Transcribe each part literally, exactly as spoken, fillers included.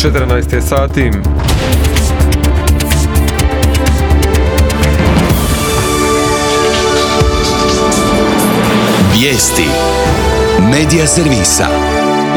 četrnaest je sati. Vijesti Medija servisa.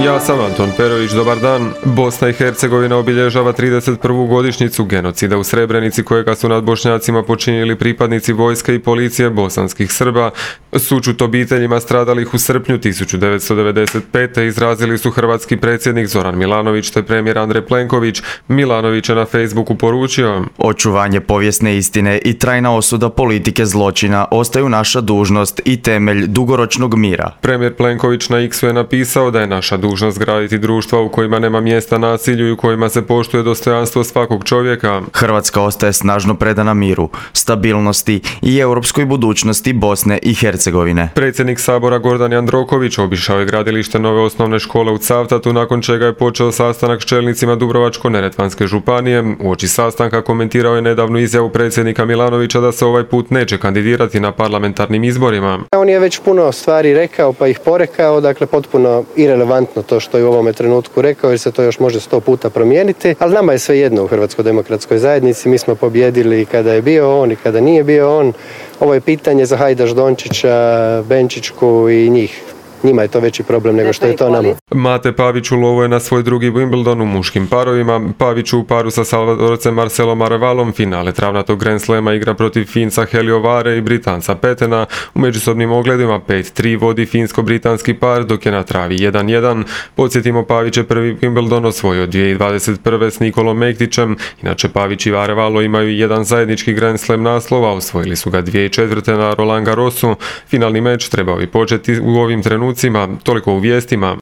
Ja sam Anton Perović, dobar dan. Bosna i Hercegovina obilježava trideset prvu godišnjicu genocida u Srebrenici kojega su nad Bošnjacima počinili pripadnici vojske i policije bosanskih Srba. Sućut obiteljima stradalih u srpnju tisuću devetsto devedeset pete izrazili su hrvatski predsjednik Zoran Milanović te premijer Andrej Plenković. Milanović je na Facebooku poručio: očuvanje povijesne istine i trajna osuda politike zločina ostaju naša dužnost i temelj dugoročnog mira. Premijer Plenković na X-u je napisao da je naša dužnost graditi društva u kojima nema mjesta nasilju i u kojima se poštuje dostojanstvo svakog čovjeka. Hrvatska ostaje snažno predana miru, stabilnosti i europskoj budućnosti Bosne i Hercegovine. Predsjednik Sabora Gordan Jandroković obišao je gradilište nove osnovne škole u Cavtatu, nakon čega je počeo sastanak s čelnicima Dubrovačko-neretvanske županije. Uoči sastanka komentirao je nedavnu izjavu predsjednika Milanovića da se ovaj put neće kandidirati na parlamentarnim izborima. On je već puno stvari rekao pa ih porekao, dakle potpuno irelevantno to što je u ovome trenutku rekao, jer se to još može sto puta promijeniti, ali nama je sve jedno u Hrvatskoj demokratskoj zajednici. Mi smo pobjedili kada je bio on i kada nije bio on. Ovo je pitanje za Hajdaš Dončića, Benčićku i njih. Njima je to veći problem nego što je to nama. Mate Pavić ulovio je na svoj drugi Wimbledon u muškim parovima. Pavić u paru sa Salvadorcem Marcelom Arevalom finale travnatog Grand Slema igra protiv Finca Helio Vare i Britanca Petena. U međusobnim ogledima pet tri vodi finsko-britanski par, dok je na travi jedan jedan. Podsjetimo, Pavić je prvi Wimbledon osvojio dvije tisuće dvadeset prve s Nikolom Mektićem. Inače, Pavić i Arevalo imaju jedan zajednički Grand Slam naslova, osvojili su ga dvije tisuće četvrte na Roland Garrosu. Finalni meč trebao bi početi u ovim trenucima. Toliko u vijestima.